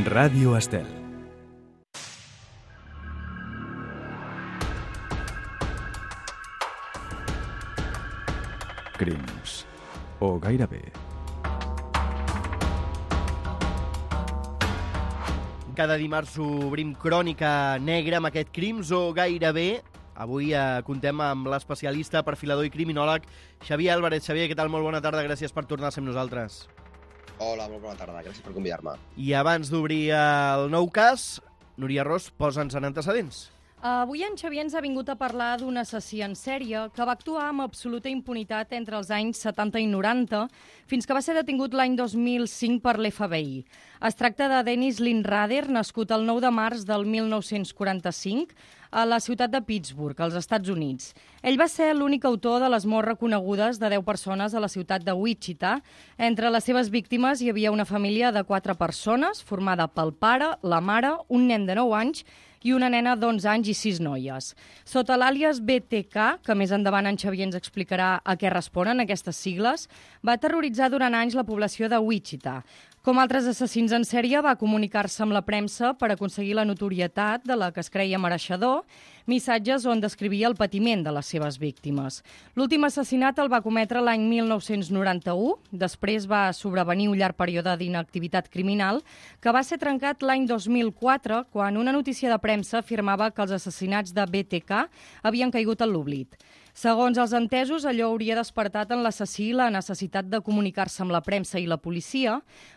Ràdio Estel. Crims. O gairebé. Cada dimarts obrim Crònica Negra amb aquest Crims o gairebé. Avui contem amb l'especialista, perfilador i criminòleg Xavier Álvarez. Xavier, què tal? Molt bona tarda, gràcies per tornar a ser amb nosaltres. Hola, molt bona tarda, gràcies per convidar-me. I abans d'obrir el nou cas, Núria Ros, posa'ns en antecedents. Avui en Xavier ens ha vingut a parlar d'un assassí en sèrie que va actuar amb absoluta impunitat entre els anys 70 i 90, fins que va ser detingut l'any 2005 per l'FBI. Es tracta de Dennis Lynrader, nascut el 9 de març del 1945 a la ciutat de Pittsburgh, als Estats Units. Ell va ser l'únic autor de les morts reconegudes de 10 persones a la ciutat de Wichita. Entre les seves víctimes hi havia una família de 4 persones, formada pel pare, la mare, un nen de 9 anys i una nena d'11 anys i 6 noies. Sota l'àlies BTK, que més endavant en Xavier ens explicarà a què responen aquestes sigles, va terroritzar durant anys la població de Wichita. Com altres assassins en sèrie, va comunicar-se amb la premsa per aconseguir la notorietat de la que es creia mereixedor, missatges on descrivia el patiment de les seves víctimes. L'últim assassinat el va cometre l'any 1991, després va sobrevenir un llarg període d'inactivitat criminal que va ser trencat l'any 2004, quan una notícia de premsa afirmava que els assassinats de BTK havien caigut en l'oblit. Segons els entesos, allò hauria despertat en l'assassí la necessitat de comunicar-se amb la premsa i la policia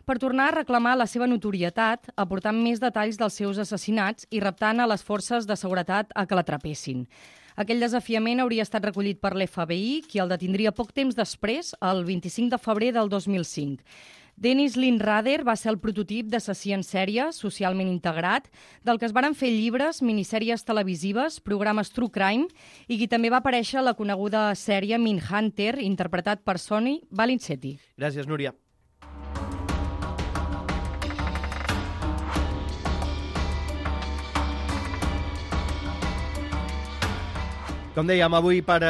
per tornar a reclamar la seva notorietat, aportant més detalls dels seus assassinats i reptant a les forces de seguretat a que l'atrapessin. Aquell desafiament hauria estat recollit per l'FBI, qui el detindria poc temps després, el 25 de febrer del 2005. Dennis Lynrader va ser el prototip d'assassí en sèrie socialment integrat, del que es varen fer llibres, minissèries televisives, programes True Crime, i qui també va aparèixer a la coneguda sèrie Mindhunter, interpretat per Sonny Valincetti. Gràcies, Núria. Com dèiem, avui per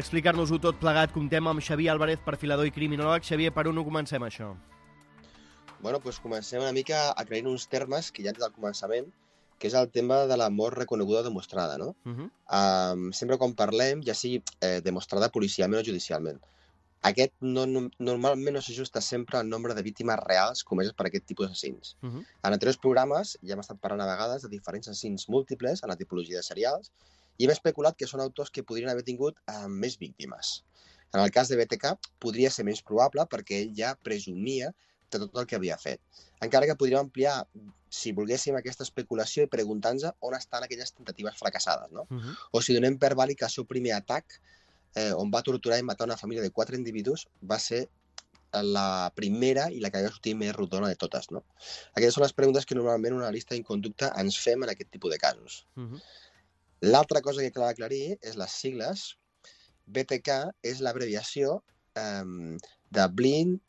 explicar-nos-ho tot plegat comptem amb Xavier Álvarez, perfilador i criminòleg. Xavier, per on ho comencem, això? Bueno, doncs comencem una mica aclarint uns termes que ja des del començament, que és el tema de la mort reconeguda o demostrada, no? Sempre quan parlem, ja sigui demostrada policialment o judicialment. Aquest normalment no s'ajusta sempre al nombre de víctimes reals comeses per aquest tipus d'assassins. En anteriors programes ja hem estat parlant a vegades de diferents assassins múltiples en la tipologia de serials i hem especulat que són autors que podrien haver tingut més víctimes. En el cas de BTK podria ser més probable perquè ell ja presumia de tot el que havia fet. Encara que podríem ampliar, si volguéssim, aquesta especulació i preguntar-nos on estan aquelles tentatives fracassades, no? O si donem per vàlid que el seu primer atac, on va torturar i matar una família de 4 individus, va ser la primera i la que va sortir més rodona de totes, no? Aquestes són les preguntes que normalment una analista en conducta ens fem en aquest tipus de casos. L'altra cosa que cal aclarir és les sigles. BTK és l'abreviació de Blind,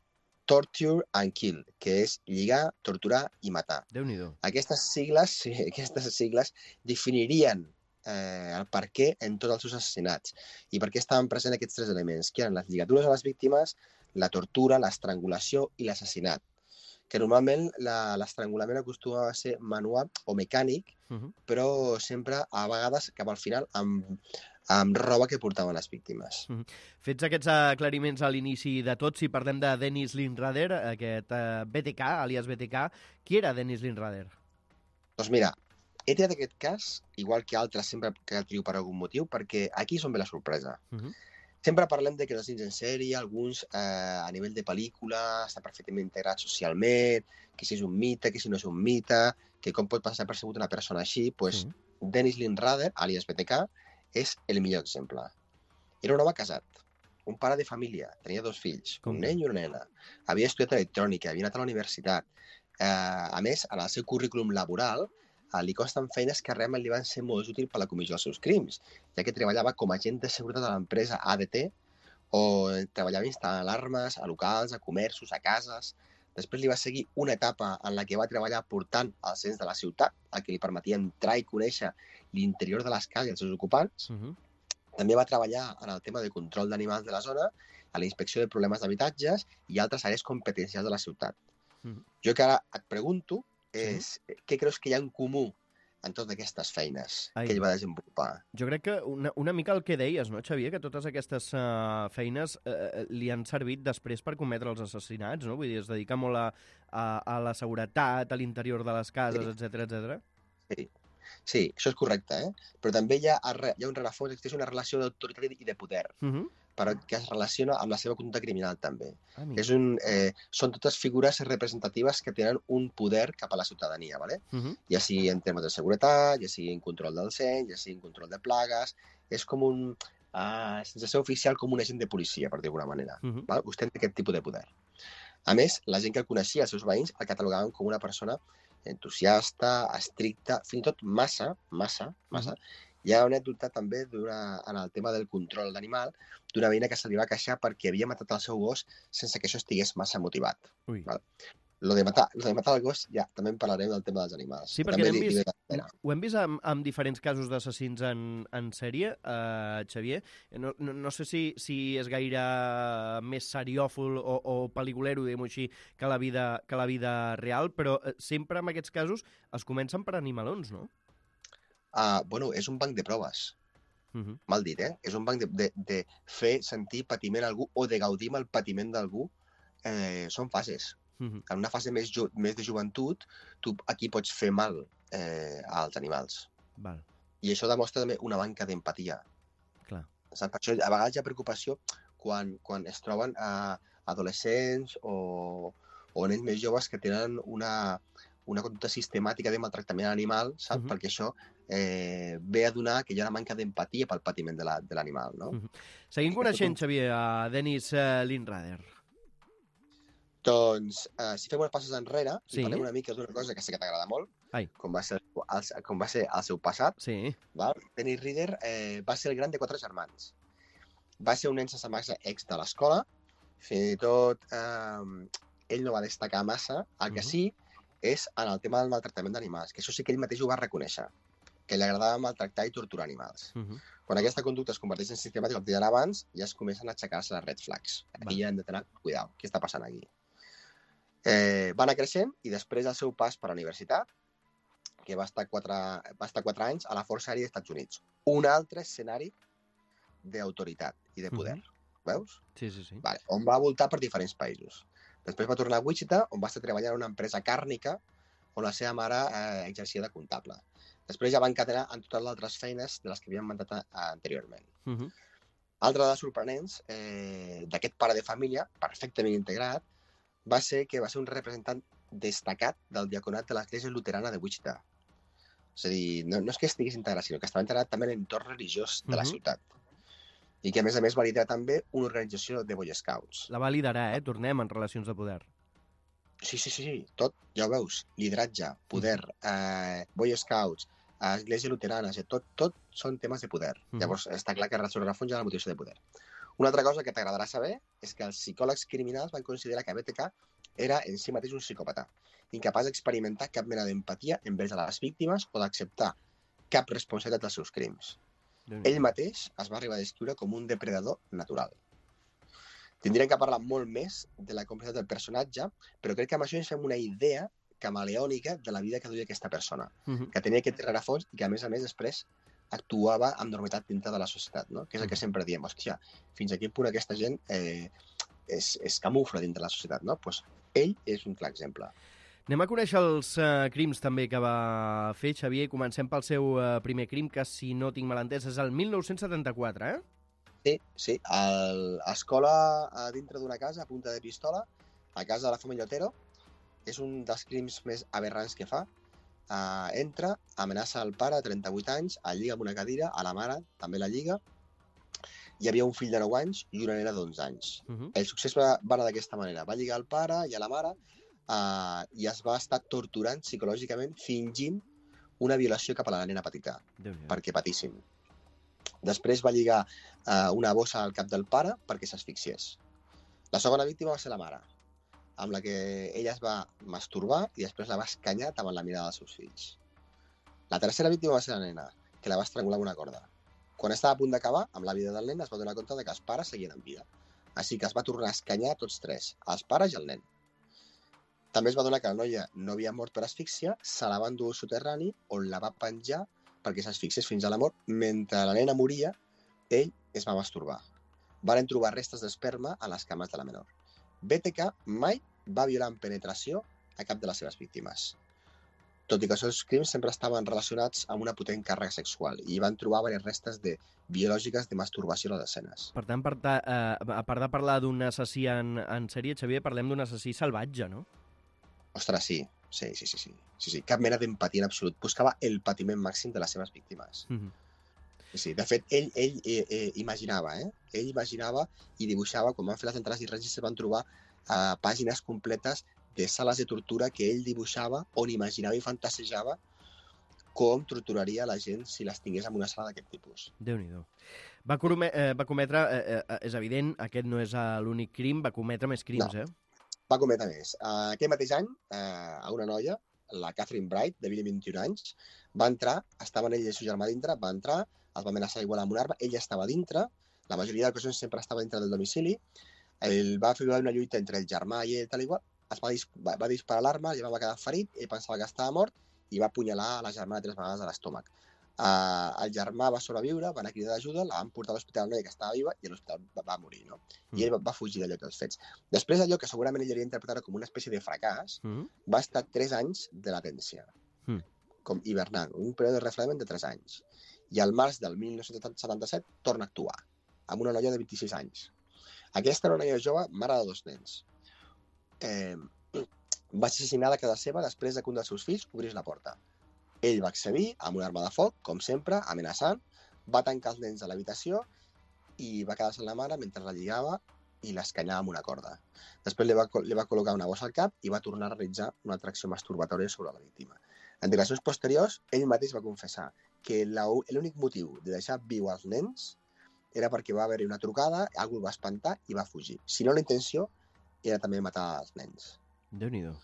Torture and Kill, que és lligar, torturar i matar. Déu-n'hi-do. Aquestes sigles definirien el per què en tots els seus assassinats i per què estaven presents aquests 3 elements, que eren les lligatures a les víctimes, la tortura, l'estrangulació i l'assassinat. Que normalment l'estrangulament acostuma a ser manual o mecànic, però sempre, a vegades, cap al final, amb roba que portaven les víctimes. Fets aquests aclariments a l'inici de tot, si parlem de Dennis Lynrader, aquest BTK, alias BTK, qui era Dennis Lynrader? Doncs mira, he triat aquest cas, igual que altres sempre que el trio per algun motiu, perquè aquí és on ve la sorpresa. Sempre parlem de que els assassins en sèrie, alguns a nivell de pel·lícula, estan perfectament integrats socialment, que si és un mite, que si no és un mite, que com pot passar percebut una persona així, doncs Dennis Lynrader, alias BTK, és el millor exemple. Era un home casat, un pare de família, tenia 2 fills, un nen i una nena. Havia estudiat electrònica, havia anat a la universitat. A més, en el seu currículum laboral, li consten feines que realment li van ser molt útils per la comissió dels seus crims, ja que treballava com a agent de seguretat de l'empresa ADT o treballava instal·lant alarmes a locals, a comerços, a cases. Després li va seguir una etapa en la que va treballar portant el cens de la ciutat, el que li permetia entrar i conèixer l'interior de les cases i els seus ocupants. També va treballar en el tema de control d'animals de la zona, a la inspecció de problemes d'habitatges i altres àrees competencials de la ciutat. Jo que ara et pregunto és què creus que hi ha en comú en totes aquestes feines que ell va desenvolupar? Jo crec que una mica el que deies, no, Xavier? Que totes aquestes feines li han servit després per cometre els assassinats, no? Vull dir, es dedica molt a la seguretat, a l'interior de les cases, etc. Sí, això és correcte, Però també hi ha un rerefons, existeix una relació d'autoritat i de poder, però que es relaciona amb la seva conducta criminal, també. Són totes figures representatives que tenen un poder cap a la ciutadania, ¿vale? Ja sigui en termes de seguretat, ja sigui en control del cens, ja sigui en control de plagues. És com sense ser oficial, com un agent de policia, per dir d'alguna manera. Vostè té aquest tipus de poder. A més, la gent que el coneixia, els seus veïns, el catalogaven com una persona entusiasta, estricta, fins i tot massa. Hi ha una anècdota també en el tema del control d'animal d'una veïna que se li va queixar perquè havia matat el seu gos sense que això estigués massa motivat. Lo de matar el gos, ja, també en parlarem del tema dels animals. Sí, perquè ho hem vist amb diferents casos d'assassins en sèrie, Xavier. No sé si és gaire més seriòfol o pel·lículero, diguem-ho així, que la vida real, però sempre en aquests casos es comencen per animalons, no? Bueno, és un banc de proves. Mal dit, És un banc de fer sentir patiment a algú o de gaudir amb el patiment d'algú. Són fases. En una fase més de joventut, tu aquí pots fer mal als animals. I això demostra també una manca d'empatia. Per això a vegades hi ha preocupació quan es troben adolescents o nens més joves que tenen una conducta sistemàtica de maltractament animal, saps? Perquè això ve a donar que hi ha una manca d'empatia pel patiment de l'animal, no? Seguim coneixent, Xavier, a Dennis Lynrader. Doncs, si fem unes passes enrere, i parlem una mica d'una cosa que sé que t'agrada molt, com va ser el seu passat, Dennis Rader va ser el gran de 4 germans. Va ser un nen sense massa ex de l'escola, fins i tot ell no va destacar massa, el que sí és en el tema del maltractament d'animals, que això sí que ell mateix ho va reconèixer, que li agradava maltractar i torturar animals. Quan aquesta conducta es converteix en sistemàtica, com deia abans, ja es comencen a aixecar-se les red flags. Aquí ja hem de tenir cuidado, què està passant aquí? Va anar creixent i després del seu pas per la universitat, que va estar 4 anys a la Força Aèria dels Estats Units. Un altre escenari d'autoritat i de poder. Veus? Sí. Vale. On va voltar per diferents països. Després va tornar a Wichita, on va estar treballant en una empresa càrnica on la seva mare exercia de comptable. Després ja va encadenar en totes les altres feines de les que havien mandat anteriorment. Altra de les sorprenents d'aquest pare de família, perfectament integrat, va ser que va ser un representant destacat del diaconat de l'Església Luterana de Wichita. És a dir, no és que estigués integrat, sinó que estava integrat també en l'entorn religiós de la ciutat. I que, a més va liderar també una organització de Boy Scouts. La va liderar, tornem en relacions de poder. Sí, tot, ja ho veus. Lideratge, poder, Boy Scouts, Església Luterana, tot són temes de poder. Llavors, està clar que sobre el fons hi ha la motivació de poder. Una altra cosa que t'agradarà saber és que els psicòlegs criminals van considerar que BTK era en si mateix un psicòpata, incapaç d'experimentar cap mena d'empatia envers a les víctimes o d'acceptar cap responsabilitat dels seus crims. Ell mateix es va arribar a descriure com un depredador natural. Tindríem que parlar molt més de la complexitat del personatge, però crec que amb això ens fem una idea camaleònica de la vida que duia aquesta persona, que tenia aquest rerefons i que, a més després, actuava amb normalitat dintre de la societat, no? Que és el que sempre diem, hòstia, fins a quin punt aquesta gent es camufla dintre de la societat, no? Doncs ell és un clar exemple. Anem a conèixer els crims també que va fer, Xavier. Comencem pel seu primer crim, que, si no tinc mal entès, és el 1974, Sí. A l'escola, a dintre d'una casa, a punta de pistola, a casa de la família Otero, és un dels crims més aberrants que fa. Entra, amenaça el pare, 38 anys, el lliga amb una cadira, a la mare també la lliga. Hi havia un fill de 9 anys i una nena d'11 anys. El succés va anar d'aquesta manera. Va lligar el pare i a la mare i es va estar torturant psicològicament, fingint una violació cap a la nena petita, perquè patissin. Després va lligar una bossa al cap del pare perquè s'asfixiés. La segona víctima va ser la mare, amb la que ella es va masturbar i després la va escanyar davant la mirada dels seus fills. La tercera víctima va ser la nena, que la va estrangular amb una corda. Quan estava a punt d'acabar amb la vida del nen, es va donar compte que els pares seguien en vida. Així que es va tornar a escanyar tots tres, els pares i el nen. També es va donar que la noia no havia mort per asfíxia, se la va endur al soterrani, on la va penjar perquè s'asfixiés fins a la mort. Mentre la nena moria, ell es va masturbar. Van trobar restes d'esperma a les cames de la menor. BTK mai va violar en penetració a cap de les seves víctimes, tot i que els seus crims sempre estaven relacionats amb una potent càrrega sexual i van trobar diverses restes biològiques de masturbació a les escenes. Per tant, a part de parlar d'un assassí en sèrie, Xavier, parlem d'un assassí salvatge, no? Ostres, sí. Cap mena d'empatia en absolut. Buscava el patiment màxim de les seves víctimes. Sí. De fet, ell imaginava, Ell imaginava i dibuixava, quan van fer les entrades i regis, van trobar pàgines completes de sales de tortura que ell dibuixava, on imaginava i fantasejava com torturaria la gent si les tingués en una sala d'aquest tipus. Déu-n'hi-do. Va cometre, és evident, aquest no és l'únic crim, va cometre més crims, No. Va cometre més. Aquell mateix any, a una noia, la Catherine Bright, de 21 anys, va entrar, estaven ell i el seu germà dintre, va entrar, els va amenaçar igual amb una arma, ella estava dintre, la majoria d'ocasions sempre estava dintre del domicili, ell va fer una lluita entre el germà i ell, tal igual, va disparar l'arma, el germà va quedar ferit, ell pensava que estava mort i va apunyalar la germana 3 vegades a l'estómac. El germà va sobreviure, van cridar d'ajuda, la van portar a l'hospital, la noia que estava viva, i a l'hospital va morir, no? I ell va fugir d'allò dels fets. Després d'allò, que segurament ell havia interpretat com una espècie de fracàs, va estar 3 anys de latència, com hivernant, un període de refredament de 3 anys. I al març del 1977 torna a actuar, amb una noia de 26 anys. Aquesta era una noia jove, mare de 2 nens. Va ser assassinada a casa seva després que un dels seus fills obrís la porta. Ell va accedir amb una arma de foc, com sempre, amenaçant, va tancar els nens a l'habitació i va quedar-se amb la mare mentre la lligava i l'escanyava amb una corda. Després li va col·locar una bossa al cap i va tornar a realitzar una atracció masturbatòria sobre la víctima. En declaracions posteriors, ell mateix va confessar que l'únic motiu de deixar viu els nens era perquè va haver-hi una trucada, algú el va espantar i va fugir. Si no, la intenció era també matar els nens. Déu-n'hi-do.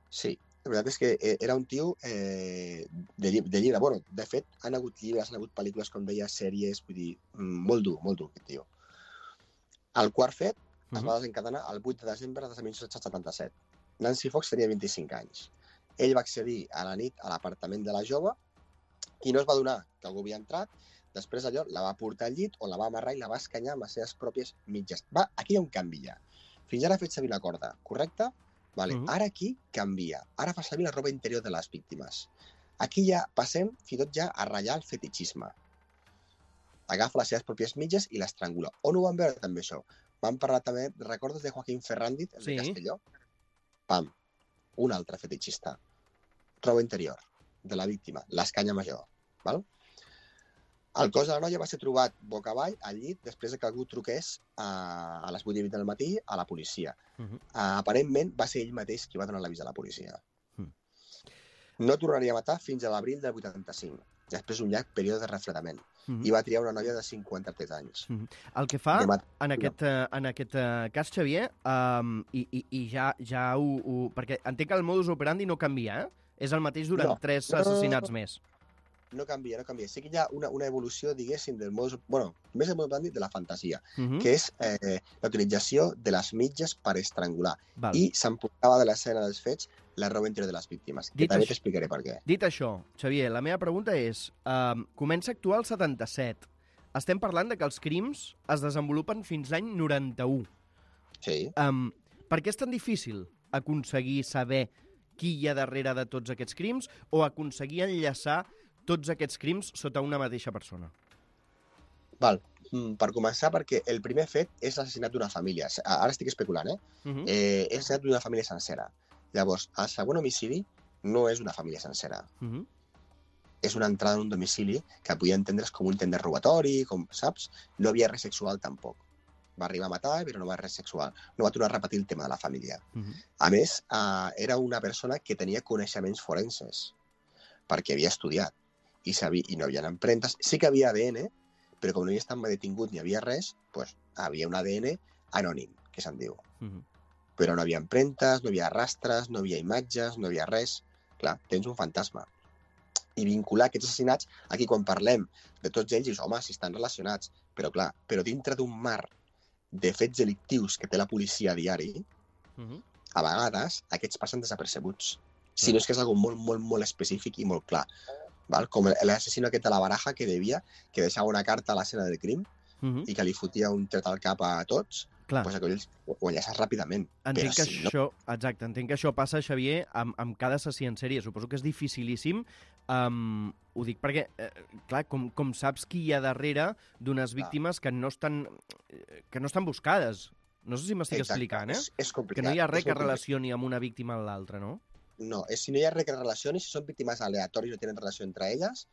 Sí, la veritat és que era un tio de llibre. Bueno, de fet, han hagut llibres, han hagut pel·lícules, com deia, sèries, vull dir, molt dur, aquest tio. El quart fet es va desencadenar el 8 de desembre de 1977. Nancy Fox tenia 25 anys. Ell va accedir a la nit a l'apartament de la jove i no es va adonar que algú havia entrat. Després d'allò la va portar al llit on la va amarrar i la va escanyar amb les seves pròpies mitges. Aquí hi ha un canvi ja. Fins ara ha fet servir la corda, correcte? Vale. Ara aquí canvia. Ara fa servir la roba interior de les víctimes. Aquí ja passem fins i tot ja a ratllar el fetichisme. Agafa les seves pròpies mitges i l'estrangula. On ho van veure també això? Vam parlar també, recordes de Joaquín Ferrandis, el de Castelló? Pam, un altre fetichista. Roba interior de la víctima, l'escanya major. Val? El cos de la noia va ser trobat boca avall al llit després que algú truqués a les 8:20 del matí a la policia. Aparentment va ser ell mateix qui va donar l'avís a la policia. No tornaria a matar fins a l'abril del 85, després d'un llarg període de refredament. I va triar una noia de 53 anys. El que fa en aquest cas, Xavier, i ja ho... Perquè entenc que el modus operandi no canvia, És el mateix durant 3 assassinats més. No canvia. Sí que hi ha una evolució, diguéssim, del modus... Bueno, més del modus operandi de la fantasia, que és la utilització de les mitges per estrangular. I s'emportava de l'escena dels fets la roba interior de les víctimes, que també t'explicaré per què. Dit això, Xavier, la meva pregunta és, comença a actuar el 77. Estem parlant de que els crims es desenvolupen fins l'any 91. Sí. Per què és tan difícil aconseguir saber qui hi ha darrere de tots aquests crims o aconseguir enllaçar tots aquests crims sota una mateixa persona? Val. Per començar, perquè el primer fet és l'assassinat d'una família. Ara estic especulant, És l'assassinat d'una família sencera. Llavors, el segon homicidi no és una família sencera. És una entrada en un domicili que podia entendre's com un intent de robatori, com, saps? No havia res sexual tampoc. Va arribar a matar, però no va res sexual. No va tornar a repetir el tema de la família. A més, era una persona que tenia coneixements forenses, perquè havia estudiat i no hi havia empremtes. Sí que havia ADN, però com no havia estat detingut ni havia res, doncs havia un ADN anònim, que se'n diu. Però no havia empremtes, no havia rastres, no havia imatges, no havia res. Clar, tens un fantasma. I vincular aquests assassinats, aquí quan parlem de tots ells, dius, home, si estan relacionats. Però clar, dintre d'un mar de fets delictius que té la policia a diari, a vegades aquests passen desapercebuts. Si no és que és algo molt, molt, molt específic i molt clar. Val? Com l'assassino aquest de la baraja que deixava una carta a l'escena del crim i que li fotia un tret al cap a tots, doncs aquells ho enllaces ràpidament. Entenc que això passa, Xavier, amb cada assassí en sèrie. Suposo que és dificilíssim. Ho dic perquè, clar, com saps qui hi ha darrere d'unes víctimes que no estan buscades. No sé si m'estic explicant, És complicat. Que no hi ha res que relacioni amb una víctima amb l'altra, no? No, si no hi ha res que relacioni, si són víctimes aleatòries, no tenen relació entre elles,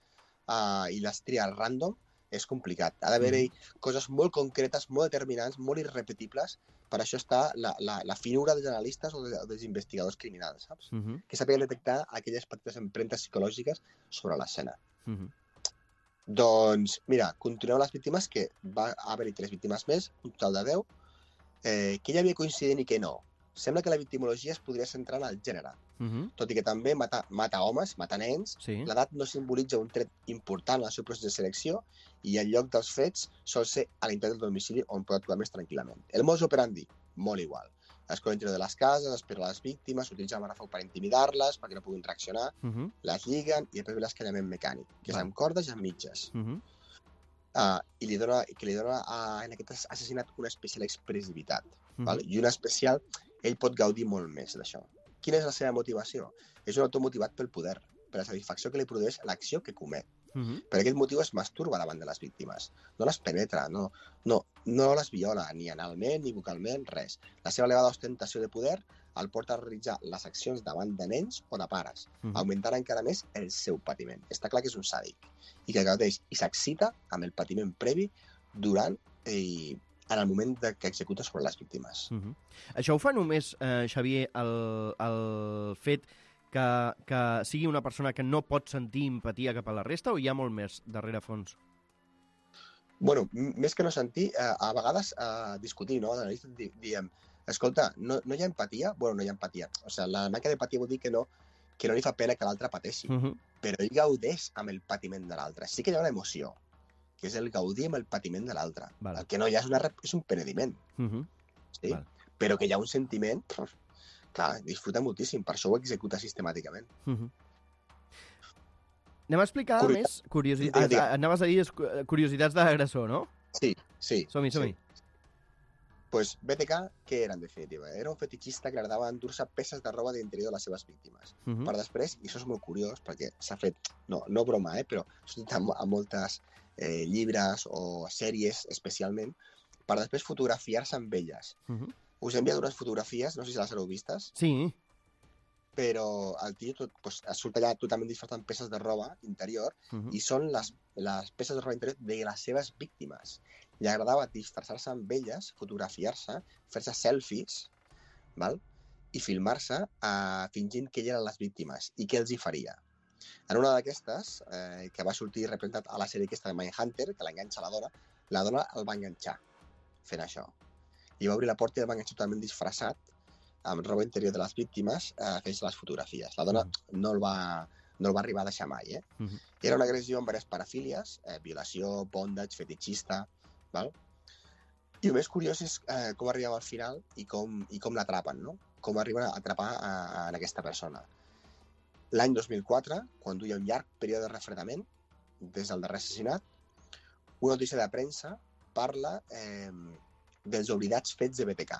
i les tria random, és complicat. Ha d'haver-hi coses molt concretes, molt determinants, molt irrepetibles. Per això està la finura dels analistes o dels investigadors criminals, saps? Que sàpiguen detectar aquelles petites empremtes psicològiques sobre l'escena. Doncs, mira, continuem les víctimes, que va haver-hi 3 víctimes més, un total de 10, que hi havia coincident i que no. Sembla que la victimologia es podria centrar en el gènere, tot i que també mata homes, mata nens, l'edat no simbolitza un tret important en el seu procés de selecció i el lloc dels fets sol ser a l'interior del domicili on pot actuar més tranquil·lament. El modus operandi, molt igual. Escola interior de les cases, espera les víctimes, utilitza l'arma de foc per intimidar-les, perquè no puguin reaccionar, les lliguen i després ve l'escanyament mecànic, que és amb cordes i amb mitges. I li dona en aquest assassinat una especial expressivitat. I una especial... Ell pot gaudir molt més d'això. Quina és la seva motivació? És un autor motivat pel poder, per la satisfacció que li produeix l'acció que comet. Per aquest motiu es masturba davant de les víctimes. No les penetra, no les viola, ni analment, ni vocalment, res. La seva elevada ostentació de poder el porta a realitzar les accions davant de nens o de pares, augmentant encara més el seu patiment. Està clar que és un sàdic i que gaudeix i s'excita amb el patiment previ durant en el moment que executa sobre les víctimes. Això ho fa només, Xavier, el fet que sigui una persona que no pot sentir empatia cap a la resta, o hi ha molt més darrere fons? Bueno, més que no sentir, a vegades discutir, no? Diem, escolta, no hi ha empatia? Bueno, no hi ha empatia. O sigui, la manca d'empatia vol dir que no li fa pena que l'altre pateixi, però ell gaudeix amb el patiment de l'altre. Sí que hi ha una emoció, que és el gaudir amb el patiment de l'altre. El que no hi ha és un penediment. Però que hi ha un sentiment, clar, disfruta moltíssim, per això ho executa sistemàticament. Anem a explicar més curiositats. Anaves a dir curiositats de l'agressor, no? Sí. Som-hi. Pues BTK, què era en definitiva? Era un fetichista que agradava endur-se peces de roba d'interior de les seves víctimes. Per després, i això és molt curiós, perquè s'ha fet, no broma, però s'ha fet a moltes llibres o sèries especialment, per després fotografiar-se amb elles. Us he enviat unes fotografies, no sé si les heu vistes. Sí. Però el tio surt allà totalment disfressat amb peces de roba interior i són les peces de roba interior de les seves víctimes. Li agradava disfressar-se amb elles, fotografiar-se, fer-se selfies, i filmar-se fingint que elles eren les víctimes i què els hi faria. En una d'aquestes, que va sortir representat a la sèrie aquesta de Mindhunter, que l'enganxa la dona el va enganxar fent això. I va obrir la porta i el va enganxar totalment disfressat, amb roba interior de les víctimes, fent-se les fotografies. La dona no el va arribar a deixar mai. Era una agressió amb diverses parafílies, violació, bondage, fetichista... I el més curiós és com arribem al final i com l'atrapen, no? Com arriben a atrapar en aquesta persona. L'any 2004, quan duia un llarg període de refredament, des del darrer assassinat, una notícia de premsa parla dels oblidats fets de BTK.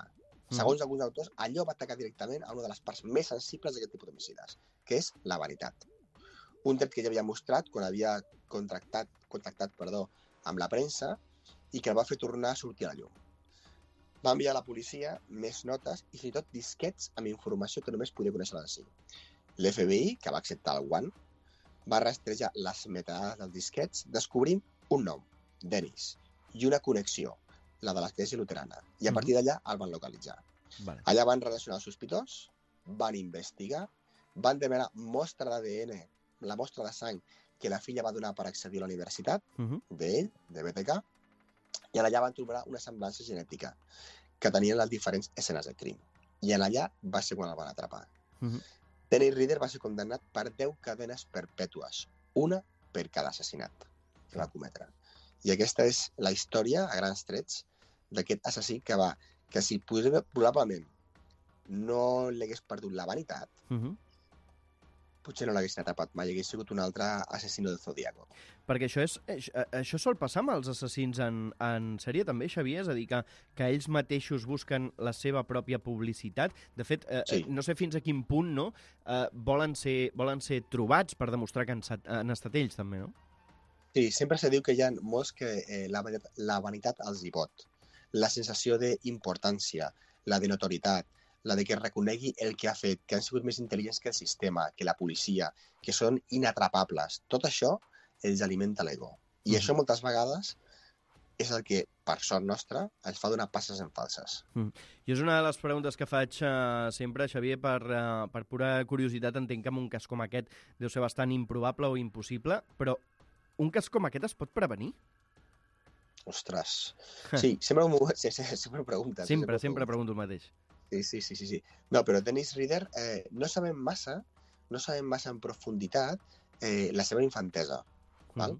Segons alguns autors, allò va atacar directament a una de les parts més sensibles d'aquest tipus d'homicides, que és la veritat. Un tret que ja havia mostrat quan havia contactat amb la premsa i que el va fer tornar a sortir a la llum. Va enviar a la policia més notes i fins i tot disquets amb informació que només podia conèixer l'assassí. L'FBI, que va acceptar el guant, va rastrejar les metadades dels disquets descobrint un nom, Dennis, i una connexió, la de l'església luterana, i a partir d'allà el van localitzar. Allà van relacionar el sospitós, van investigar, van demanar mostra d'ADN, la mostra de sang que la filla va donar per accedir a la universitat, d'ell, de BTK, i allà van trobar una semblança genètica que tenien les diferents escenes del crim. I allà va ser quan el van atrapar. Dennis Rader va ser condemnat per 10 cadenes perpètues, una per cada assassinat que va cometre. I aquesta és la història, a grans trets, d'aquest assassí que si probablement no li hagués perdut la vanitat, potser no l'haguessin atrapat mai, hagués sigut un altre assassino del Zodíaco. Perquè això sol passar amb els assassins en sèrie també, Xavier? És a dir, que ells mateixos busquen la seva pròpia publicitat. De fet, sí. No sé fins a quin punt volen ser trobats per demostrar que han estat ells també, no? Sí, sempre se diu que hi ha molts que la vanitat els hi pot. La sensació d'importància, la de notoritat, la de que reconegui el que ha fet, que han sigut més intel·ligents que el sistema, que la policia, que són inatrapables. Tot això els alimenta l'ego. I això moltes vegades és el que, per sort nostra, ens fa donar passes en falses. I és una de les preguntes que faig sempre, Xavier, per pura curiositat. Entenc que en un cas com aquest deu ser bastant improbable o impossible, però un cas com aquest es pot prevenir? Ostres. Sí, sempre ho preguntes. Sempre pregunto el mateix. Sí. No, però Dennis Rader no sabem massa en profunditat la seva infantesa, val?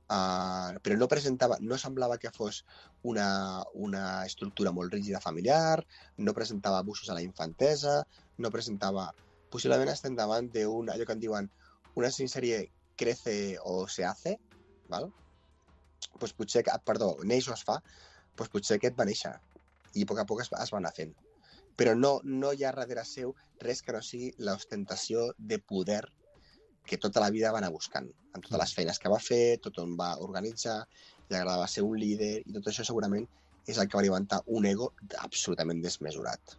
Però no semblava que fos una estructura molt rígida familiar, no presentava abusos a la infantesa, no presentava... Possiblement estem davant d'allò que en diuen una sèrie crece o se hace, val? Pues potser, neix o es fa, pues potser aquest va néixer i a poc es va anar fent. Però no hi ha darrere seu res que no sigui l'ostentació de poder que tota la vida va anar buscant, amb totes les feines que va fer, tot on va organitzar, li agradava ser un líder, i tot això segurament és el que va alimentar un ego absolutament desmesurat.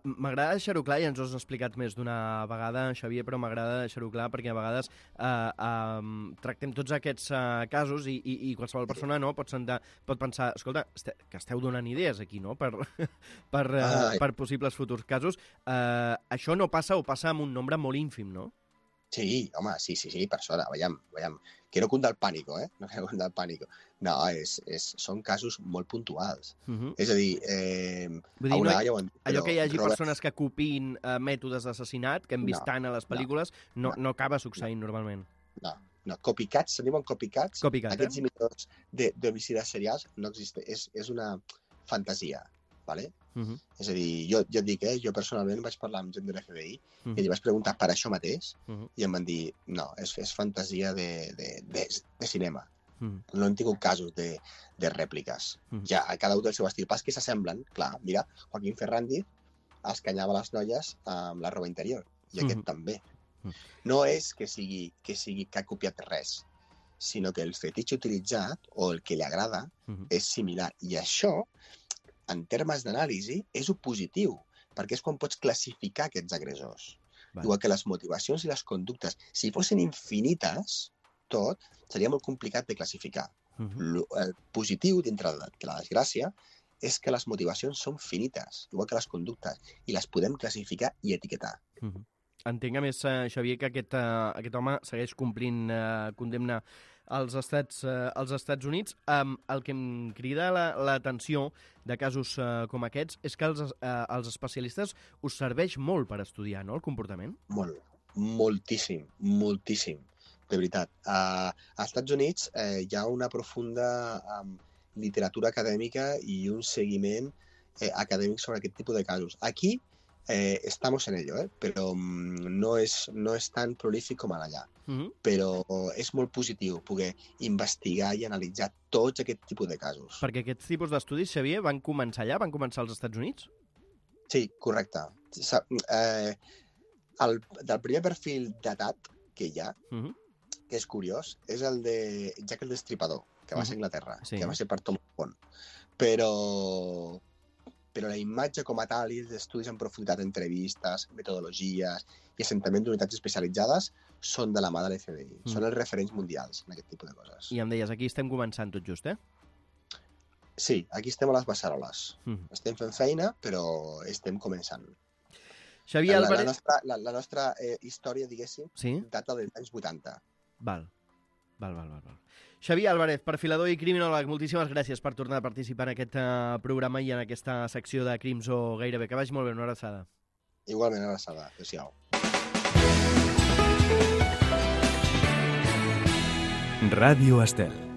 M'agrada deixar-ho clar, i ens ho has explicat més d'una vegada, Xavier, però m'agrada deixar-ho clar perquè a vegades tractem tots aquests casos i qualsevol persona pot pensar, escolta, que esteu donant idees aquí, no?, per possibles futurs casos. Això no passa o passa amb un nombre molt ínfim, no? Sí, home, sí, per sort, veiem. Quiero cundar el pánico, No quiero cundar el pánico. No, són casos molt puntuals. És a dir, allò que hi hagi persones que copiïn mètodes d'assassinat, que hem vist tant a les pel·lícules, no acaba succeint normalment. No, copycats, se diuen copycats. Aquests imitadors d'homicides serials no existen. És una fantasia, ¿vale? És a dir, jo et dic, jo personalment vaig parlar amb gent de l'FBI i li vaig preguntar per això mateix i em van dir, no, és fantasia de cinema. No han tingut casos de rèpliques. Ja, cada un del seu estil. Pas que s'assemblen, clar, mira, Joaquín Ferrandi escanyava les noies amb la roba interior i aquest també. No és que ha copiat res, sinó que el fetitxe utilitzat o el que li agrada és similar. I això, en termes d'anàlisi, és positiu, perquè és quan pots classificar aquests agressors. Igual que les motivacions i les conductes, si fossin infinites, tot, seria molt complicat de classificar. El positiu, dintre de la desgràcia, és que les motivacions són finites, igual que les conductes, i les podem classificar i etiquetar. Entenc, a més, Xavier, que aquest home segueix complint condemna als Estats Units. El que em crida l'atenció de casos com aquests és que els especialistes us serveix molt per estudiar, no?, el comportament? Moltíssim, de veritat. Als Estats Units hi ha una profunda literatura acadèmica i un seguiment acadèmic sobre aquest tipus de casos. Aquí estamos en ello, pero no es tan prolífic com allà. Però és molt positiu poder investigar i analitzar tots aquest tipus de casos. Perquè aquests tipus d'estudis, Xavier, van començar allà? Van començar als Estats Units? Sí, correcte. Del primer perfil datat que hi ha, que és curiós, és el de Jack el Destripador, que va ser a Anglaterra, que va ser per tot el món. Però la imatge com a tal i els estudis en profunditat, entrevistes, metodologies i assentament d'unitats especialitzades són de la mà de l'FBI. Són els referents mundials en aquest tipus de coses. I em deies, aquí estem començant tot just, Sí, aquí estem a les beceroles. Estem fent feina, però estem començant. Xavier Álvarez... La nostra història, diguéssim, data dels anys 80. Val. Xavier Álvarez, perfilador i criminòleg, moltíssimes gràcies per tornar a participar en aquest programa i en aquesta secció de Crims o Gairebé. Que vagi molt bé, una abraçada. Igualment, una abraçada. Adéu-siau. Ràdio Estel.